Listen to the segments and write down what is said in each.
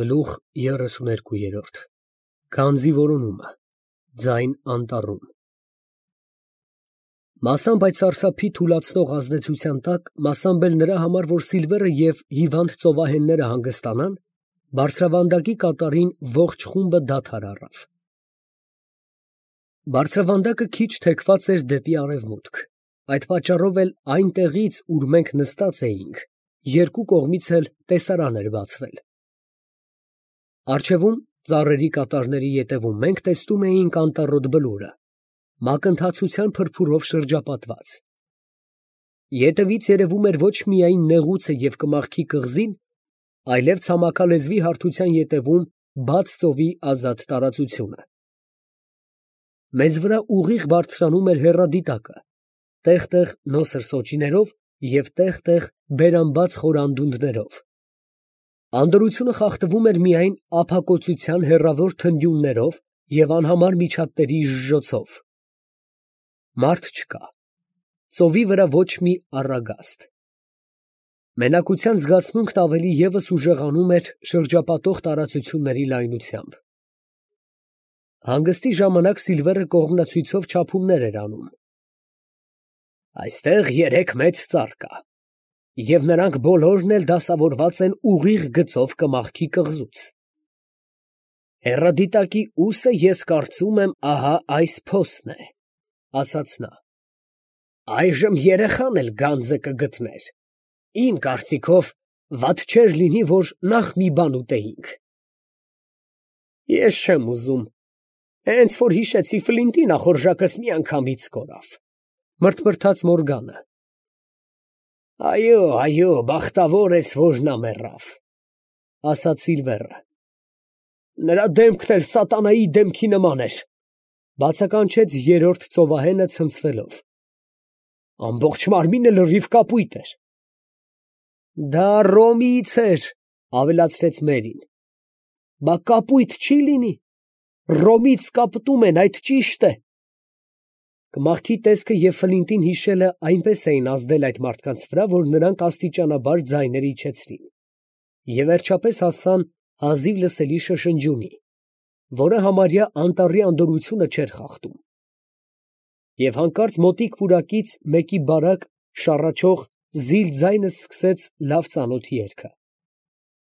Գլուխ 32 Գանձի որոնումը ձայն անտառում Մասամբ այդ սարսափի թուլացնող ազդեցության տակ, մասամբ էլ նրա համար, որ Սիլվերը և հիվանդ ծովահենները հանգստանան, բարձրավանդակի կատարին ողջ խումբը դադար առավ։ Բարձրավանդակը քիչ թեքված էր դեպի արևմուտք, այդ պատճառով էլ այն տեղից, ուր մենք նստած էինք, երկու կողմից էլ տեսարան էր բացվել։ Առջևում, ծառերի կատարների ետևում մենք տեսնում էինք անտառոտ բլուրը, մակընթացության փրփուրով շրջապատված։ Ետևից երևում էր ոչ միայն նեղուցը և կմախքի կղզին, այլև ցամաքալեզվի հարթության ետևում բաց ծովի ազատ տարածությունը։ Մեզ վրա ուղիղ բարձրանում էր հեռադիտակը, տեղ֊տեղ նոսր սոճիներով և տեղ֊տեղ բերամբաց խոր անդունդներով։ Անդորրությունը խախտվում էր միայն ափակոծության հեռավոր թնդյուններով և անհամար միջատների ժժոցով։ Մարդ չկա, ծովի վրա ոչ մի առագաստ։ Մենակության զգացմունքն ավելի ևս ուժեղանում էր շրջապատող տարածությունների լայնությամբ։ Հանգստի ժամանակ Սիլվերը կողմնացույցով չափումներ էր անում։ Այստեղ 3 մեծ ծառ կա, և նրանք բոլորն էլ դասավորված են ուղիղ գծով կմախքի կղզուց։ Հեռադիտակի ուսը ես կարծում եմ ահա այս փոսն է, ասաց նա։ Այժմ երեխան էլ գանձը կգտներ, իմ կարծիքով վատ չէր լինի, որ նախ մի բան ուտեինք։ Ես չեմ ուզում, հենց որ հիշեցի Ֆլինտին ախորժակս միանգամից կորավ, մրթմրթաց Մորգանը։ Այո, բախտավոր ես, որ նա մեռավ, ասաց Սիլվերը։ Նրա դեմքն էլ սատանայի դեմքի նման էր, բացականչեց երրորդ ծովահենը ցնցվելով։ Ամբողջ մարմինը լրիվ կապույտ էր։ Դա Ռոմիից էր, ավելացրեց Մերին։ Բա կապույտ չի լինի։ Ռոմից կապտում են, այդ ճիշտ է։ Կմախքի տեսքը և Ֆլինտին հիշելը այնպես էին ազդել այդ մարդկանց վրա, որ նրանք աստիճանաբար ձայներ իջեցրին և վերջապես հասան հազիվ լսելի շշնջյունի, որը համարյա անտառի անդորրությունը չէր խախտում։ Եվ հանկարծ մոտիկ պուրակից մեկի բարակ, շառաչող զիլ ձայնը սկսեց լավ ծանոթ երգը.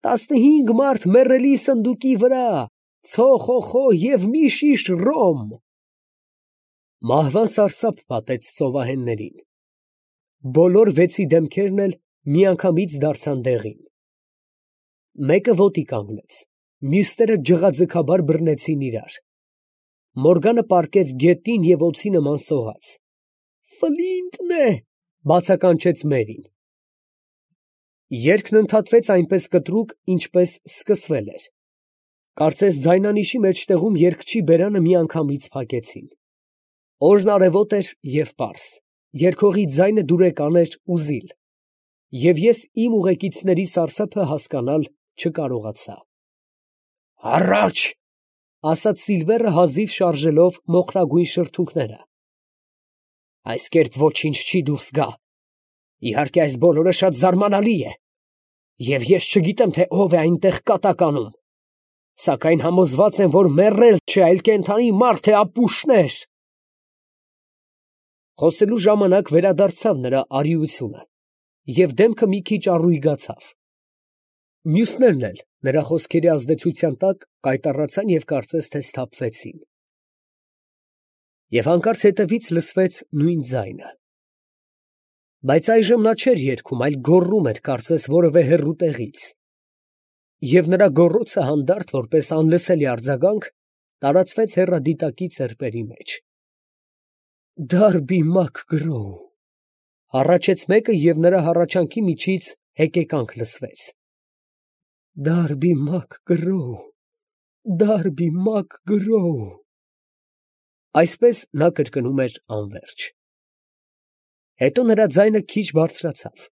15 մարդ մեռելի սնդուկի վրա, ցո խո և մի շիշ ռոմ։ Մահվան սարսափ պատեց ծովահեններին։ Բոլոր 6-ի դեմքերն էլ միանգամից դարձան դեղին։ Մեկը ոտի կանգնեց, մյուսները ջղաձգաբար բռնեցին իրար։ Մորգանը պառկեց գետին և օձի նման սողաց։ Ֆլինտն է, բացականչեց Մերին։ Երգն ընդհատվեց այնպես կտրուկ, ինչպես սկսվել էր։ Կարծես ձայնանիշի մեջտեղում երգչի բերանը միանգամից փակեցին։ Օրն արևոտ էր և պարզ, երգողի ձայնը դուրեկան էր ու զիլ, և ես իմ ուղեկիցների սարսափը հասկանալ չկարողացա։ Առաջ, ասաց Սիլվերը հազիվ շարժելով մոխրագույն շրթունքները։ Այս կերպ ոչինչ չի դուրս գա։ Իհարկե այս բոլորը շատ զարմանալի է, և ես չգիտեմ, թե ով է այնտեղ կատակ անում, սակայն համոզված եմ, որ մեռել չէ, այլ կենդանի մարդ է, ապուշներ։ Խոսելու ժամանակ վերադարձավ նրա արիությունը, և դեմքը մի քիչ առույգացավ։ Մյուսներն էլ նրա խոսքերի ազդեցության տակ կայտառացան և կարծես թե սթափվեցին։ Եվ հանկարծ հետևից լսվեց նույն ձայնը։ Բայց այժմ նա չէր երգում, այլ գոռում էր, կարծես որևէ հեռու տեղից։ Եվ նրա գոռոցը հանդարտ, որպես անլսելի արձագանք, տարածվեց հեռադիտակի ծեպերի մեջ։ Դարբի Մակ Գրոու, հառաչեց մեկը, և նրա հառաչանքի միջից հեկեկանք լսվեց։ Դարբի Մակ Գրոու, Դարբի Մակ Գրոու։ Այսպես նա կրկնում էր անվերջ։ Հետո նրա ձայնը քիչ բարձրացավ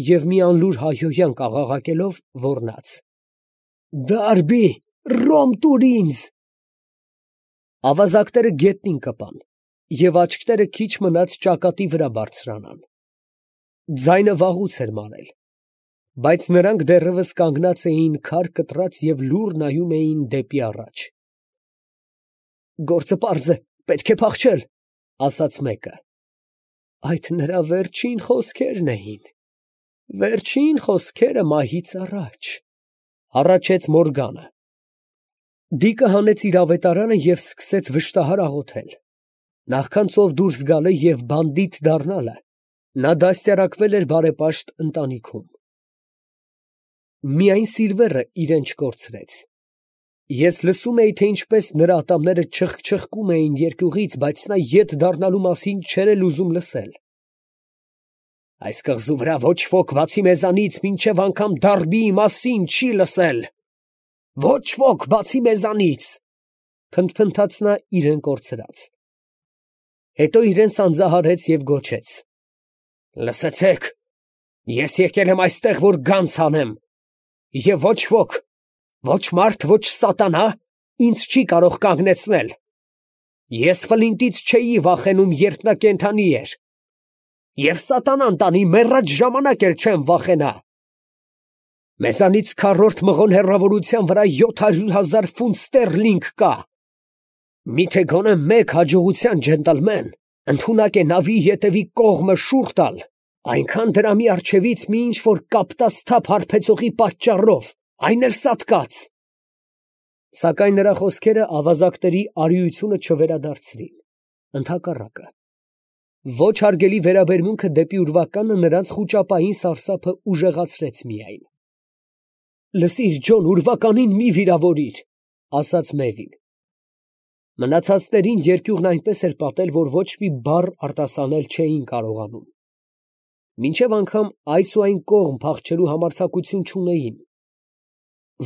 և մի անլուր հայհոյանք աղաղակելով ոռնաց. Դարբի, ռոմ տուր ինձ։ Ավազակները գետնին կպան, և աչքերը քիչ մնաց ճակատի վրա բարձրանան։ Ձայնը վաղուց էր մարել։ Բայց նրանք դեռևս կանգնած էին քար կտրած և լուռ նայում էին դեպի առաջ։ «Գործը պարզ է, պետք է փախչել», ֊ ասաց մեկը։ Այդ նրա վերջին խոսքերն էին, վերջին խոսքերը մահից առաջ, ֊ հառաչեց Մորգանը։ Դիկը հանեց իր ավետարանը և սկսեց վշտահար աղոթել։ Նախքան ծով դուրս գալը և բանդիտ դառնալը, նա դաստիարակվել էր բարեպաշտ ընտանիքում։ Միայն Սիլվերը իրեն չկորցրեց։ Ես լսում էի, թե ինչպես նրա ատամները չխկչխկում էին երկյուղից, բայց նա ետ դառնալու մասին չէր էլ ուզում լսել։ Այս կղզու վրա ոչ ոք բացի մեզանից մինչև անգամ Դարբիի մասին չի լսել։ Ոչ ոք բացի մեզանից, փնթփնթաց նա իրեն կորցրած։ Հետո իրեն սանձահարեց և գոչեց. Լսեցեք, ես եկել եմ այստեղ, որ գանձ հանեմ, և ոչ ոք, ոչ մարդ, ոչ սատանա ինձ չի կարող կանգնեցնել։ Ես Ֆլինտից չէի վախենում, երբ նա կենդանի էր, և սատանան տանի մեռած ժամանակ էլ չեմ վախենա։ Մեզանից քառորդ մղոն հեռավորության վրա 700,000 ֆունտ ստերլինգ կա։ Միթե գոնե մեկ հաջողության ջենտլմեն ընդունակ է նավի ետևի կողմը շուռ տալ, այնքան դրամի առջևից մի ինչ-որ կապտասթափ հարբեցողի պատճառով, այն էլ սատկած։ Սակայն նրա խոսքերը ավազակների արիությունը չվերադարձրին, ընդհակառակը։ Ոչ հարգելի վերաբերմունքը դեպի ուրվականը նրանց խուճապային սարսափը ուժեղացրեց միայն։ Լսիր, Ջոն, ուրվականին մի վիրավորիր, ֊ ասաց Մերին։ Մնացածներին երկյուղն այնպես էր պատել, որ ոչ մի բառ արտասանել չէին կարողանում։ Մինչև անգամ այս ու այն կողմ փախչելու համարձակություն չունեին։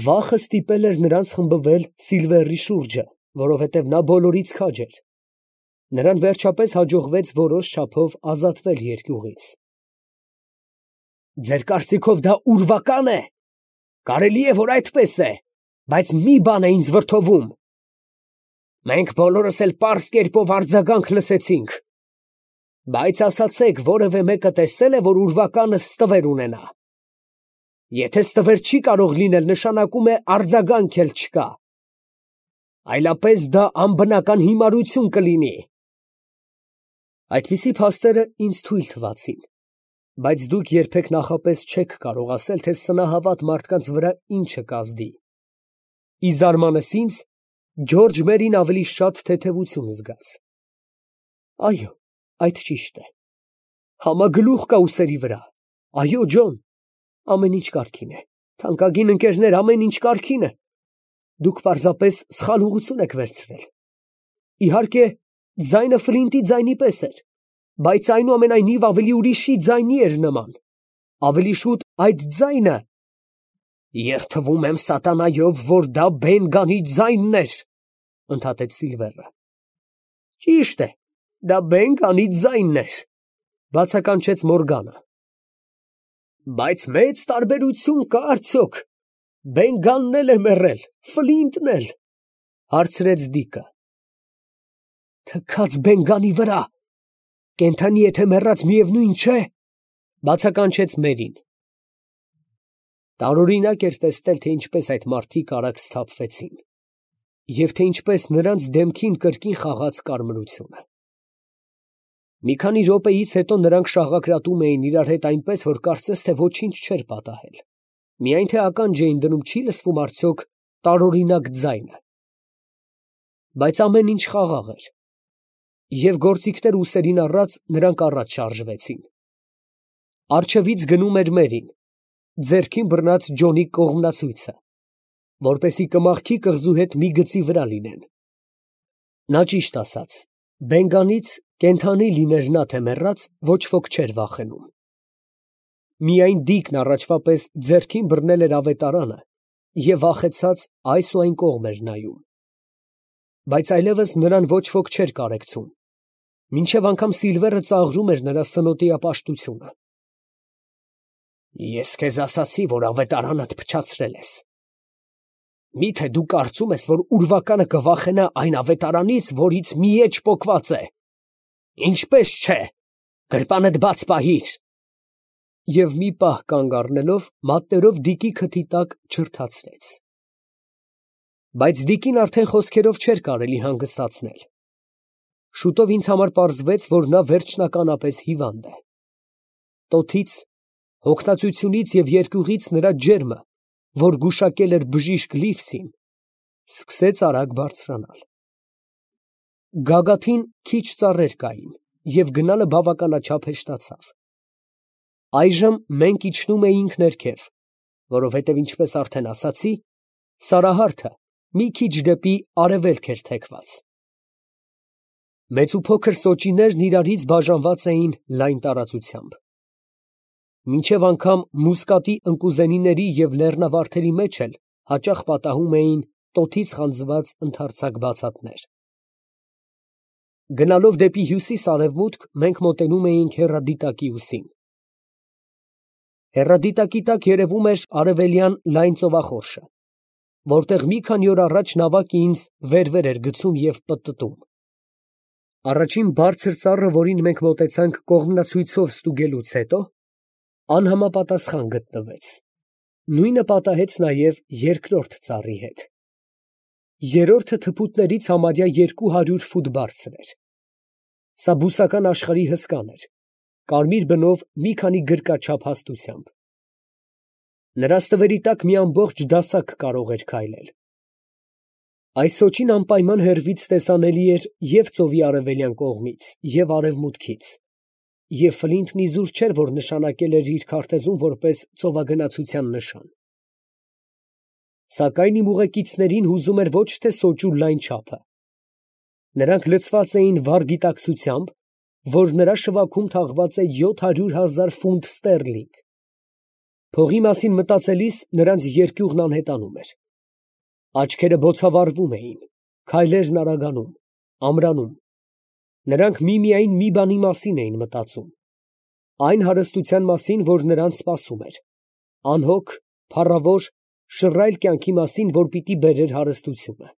Վախը ստիպել էր նրանց խմբվել Սիլվերի շուրջը, որովհետև նա բոլորից քաջ էր։ Նրան վերջապես հաջողվեց որոշ չափով ազատվել երկյուղից։ Ձեր կարծիքով դա ուրվական է։ Կարելի է, որ այդպես է, բայց մի բան է ինձ վրդովում։ Մենք բոլորս էլ պարզ կերպով արձագանք լսեցինք։ Բայց ասացեք, որևէ մեկը տեսել է, որ ուրվականը ստվեր ունենա։ Եթե ստվեր չի կարող լինել, նշանակում է արձագանք էլ չկա։ Այլապես դա անբնական հիմարություն կլինի։ Այդպիսի փաստերը ինձ թույլ թվացին, բայց դուք երբեք նախապես չեք կարող ասել, թե սնահավատ մարդկանց վրա ինչը կազդի։ Ի զարմանս ինձ, Ջորջ Մերին ավելի շատ թեթևություն զգաց։ Այո, այդ ճիշտ է։ Համագլուխ կա ուսերի վրա։ Այո, Ջոն, ամեն ինչ կարգին է։ Թանկագին ընկերներ, ամեն ինչ կարգին է։ Դուք պարզապես սխալ ուղղություն եք վերցրել։ Իհարկե, ձայնը Ֆլինտի ձայնի պես էր, բայց այնուամենայնիվ ավելի ուրիշի ձայնի էր նման։ Ավելի շուտ այդ ձայնը… Երդվում եմ սատանայով, որ դա Բեն Գանի ձայնն էր, ընդհատեց Սիլվերը։ Ճիշտ է, դա Բեն Գանի ձայնն էր, բացականչեց Մորգանը։ Բայց մեծ տարբերություն կա արդյոք։ Բեն Գանն էլ է մեռել, Ֆլինտն էլ, հարցրեց Դիկը։ Թքած Բեն Գանի վրա, կենդանի է թե մեռած միևնույն չէ, բացականչեց Մերին։ Տարօրինակ էր տեսնել, թե ինչպես այդ մարդիկ արագ սթափվեցին, և թե ինչպես նրանց դեմքին կրկին խաղաց կարմրությունը։ Մի քանի րոպեից հետո նրանք շաղակրատում էին իրար հետ այնպես, որ կարծես թե ոչինչ չէր պատահել, միայն թե ականջ էին դնում, չի լսվում արդյոք տարօրինակ ձայնը։ Բայց ամեն ինչ խաղաղ էր, և գործիքներ ուսերին առած նրանք առաջ շարժվեցին։ Առջևից գնում էր Մերին, ձեռքին բռնած Ջոնի կողմնացույցը, որպեսզի կմաղթի կղզու հետ մի գծի վրա լինեն։ Նա ճիշտ ասաց, Բեն Գանից, կենդանի լիներ նա թե մեռած, ոչ ոք չէր վախենում։ Միայն Դիկն առաջվա պես ձեռքին բռնել էր ավետարանը և վախեցած այս ու այն կողմ էր նայում։ Բայց այլևս նրան ոչ ոք չէր կարեկցում, մինչև անգամ Սիլվերը ծաղրում էր նրա սնոտիապաշտությունը։ Ես քեզ ասացի, որ ավետարանդ փչացրել ես։ Մի՞թե դու կարծում ես, որ ուրվականը կվախենա այն ավետարանից, որից մի էջ պոկված է։ Ինչպես չէ, գրպանդ բաց պահիր։ և մի պահ կանգ առնելով, մատներով Դիկի քթի տակ չրթացրեց։ Բայց Դիկին արդեն խոսքերով չէր կարելի հանգստացնել։ Շուտով ինձ համար պարզվեց, որ նա վերջնականապես հիվանդ է։ Տոթից, հոգնածությունից և երկյուղից նրա ջերմը, որ գուշակել էր բժիշկ Լիվսին, սկսեց արագ բարձրանալ։ Գագաթին քիչ ծառեր կային, և գնալը բավականաչափ հեշտացավ։ Այժմ մենք իջնում էինք ներքև, որովհետև, ինչպես արդեն ասացի, Սարահարթը մի քիչ դեպի արևելք էր թեքված։ Մեծ ու փոքր սոճիներն իրարից բաժանված էին լայն տարածությամբ։ Մինչև անգամ Մուսկատի ընկուզենիների և լեռնավարդերի մեջ էլ հաճախ պատահում էին տոթից խանձված ընդարձակ բացատներ։ Գնալով դեպի հյուսիս֊արևմուտք, մենք մոտենում էինք հեռադիտակի ուսին։ Հեռադիտակի տակ երևում էր արևելյան լայն ծովախորշը, որտեղ մի քանի օր առաջ նավակը ինձ վեր էր գցում և պտտում։ Առաջին բարձր ծառը, որին մենք մոտեցանք կողմնացույցով ստուգելուց հետո, անհամապատասխան գտնվեց։ Նույնը պատահեց նաև երկրորդ ծառի հետ։ Երրորդը թփուտներից համարյա 200 ֆուտ բարձր էր։ Սա բուսական աշխարհի հսկան էր, կարմիր բնով մի քանի գրկաչափ հաստությամբ։ Նրա ստվերի տակ մի ամբողջ դասակ կարող էր քայլել։ Այս սոճին անպայման հեռվից տեսանելի էր և ծովի արևելյան կողմից, և արևմուտքից, և Ֆլինտն իզուր չէր, որ նշանակել էր իր քարտեզում որպես ծովագնացության նշան։ Սակայն իմ ուղեկիցներին հուզում էր ոչ թե սոճու լայն չափը։ Նրանք լցված էին վառ գիտակցությամբ, որ նրա շվաքում թաղված է 700,000 ֆունտ ստերլինգ։ Փողի մասին մտածելիս նրանց երկյուղն անհետանում էր։ Աչքերը բոցավառվում էին, քայլերն արագանում, ամրանում։ Նրանք միմիայն մի բանի մասին էին մտածում, այն հարստության մասին, որ նրանց սպասում էր, անհոգ, փառավոր, շռայլ կյանքի մասին, որ պիտի բերեր հարստությունը։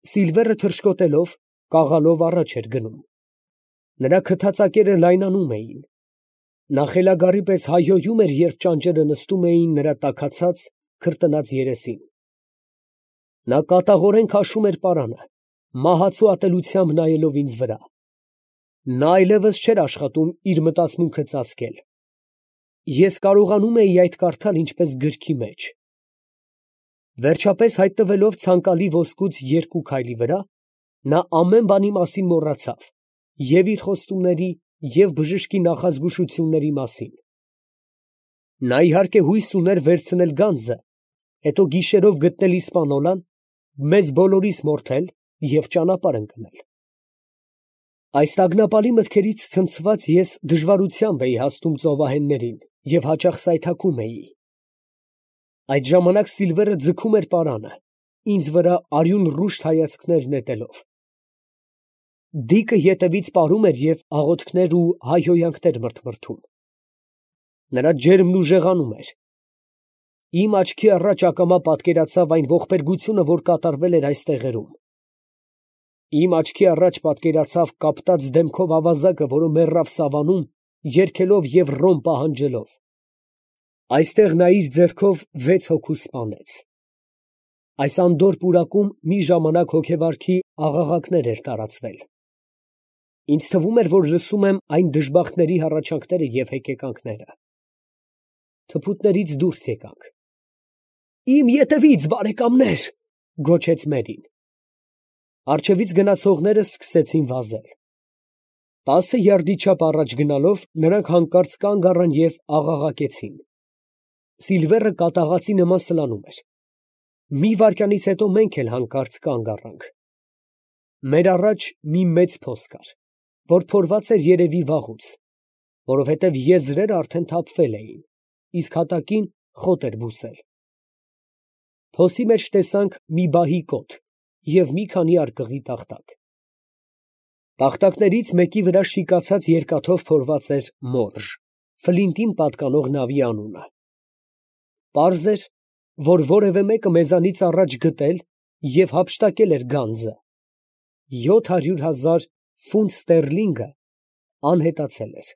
Սիլվերը թռչկոտելով, կաղալով առաջ էր գնում։ Նրա քթածակերը լայնանում էին։ Նա խելագարի պես հայհոյում էր, երբ ճանճերը նստում էին նրա տաքացած, քրտնած երեսին։ Նա կատաղորեն քաշում էր պարանը, մահացու ատելությամբ նայելով ինձ վրա։ Նա այլևս չէր աշխատում իր մտածմունքը ծածկել։ Ես կարողանում էի այդ կարդալ ինչպես գրքի մեջ։ Վերջապես հայտնվելով ցանկալի ոսկուց 2 քայլի վրա, նա ամեն բանի մասին մոռացավ, և իր խոստումների, և բժշկի նախազգուշությունների մասին։ Նա իհարկե հույս ուներ վերցնել գանձը, հետո գիշերով գտնել իսպանոլան, մեզ բոլորիս մորթել և ճանապարհ ընկնել։ Այս տագնապալի մտքերից ցնցված ես դժվարությամբ էի հասնում ծովահեններին և հաճախ սայթաքում էի։ Այդ ժամանակ Սիլվերը ձգում էր պարանը, ինձ վրա արյուն ռուշտ հայացքներ նետելով։ Դիկը ետևից պարում էր և աղոթքներ ու հայհոյանքներ մրթմրթում։ Նրա ջերմն ուժեղանում էր։ Իմ աչքի առաջ ակամա պատկերացավ այն ողբերգությունը, որ կատարվել էր այս տեղերում։ Իմ աչքի առաջ պատկերացավ կապտած դեմքով ավազակը, որը մեռավ սավանում, երգելով և ռոմ պահանջելով։ Այստեղ նա իր ձեռքով 6 հոգու սպանեց։ Այս անդորր պուրակում մի ժամանակ հոգեվարքի աղաղակներ էր տարածվել։ Ինձ թվում էր, որ լսում եմ այն դժբախտների հառաչանքները և հեկեկանքները։ Թփուտներից դուրս եկանք։ «Իմ ետևից, բարեկամներ», գոչեց Մերին։ Առջևից գնացողները սկսեցին վազել։ 10 յարդի չափ առաջ գնալով, նրանք հանկարծ կանգ առան և աղաղակեցին։ Սիլվերը կատաղածի նման սլանում էր։ Մի վայրկյանից հետո մենք էլ հանկարծ կանգ առանք։ Մեր առաջ մի մեծ փոս կար, որ փորված էր երևի վաղուց, որովհետև եզրերը արդեն թափվել էին, իսկ հատակին խոտ էր բուսել։ Փոսի մեջ տեսանք մի բահի կոթ և մի քանի արկղի տախտակ։ Տախտակներից մեկի վրա շիկացած երկաթով փորված էր մորժ, Ֆլինտին պատկանող նավի անունը։ Պարզ էր, որ որևէ մեկը մեզանից առաջ գտել և հափշտակել էր գանձը։ 700,000 ֆունտ ստերլինգը անհետացել էր։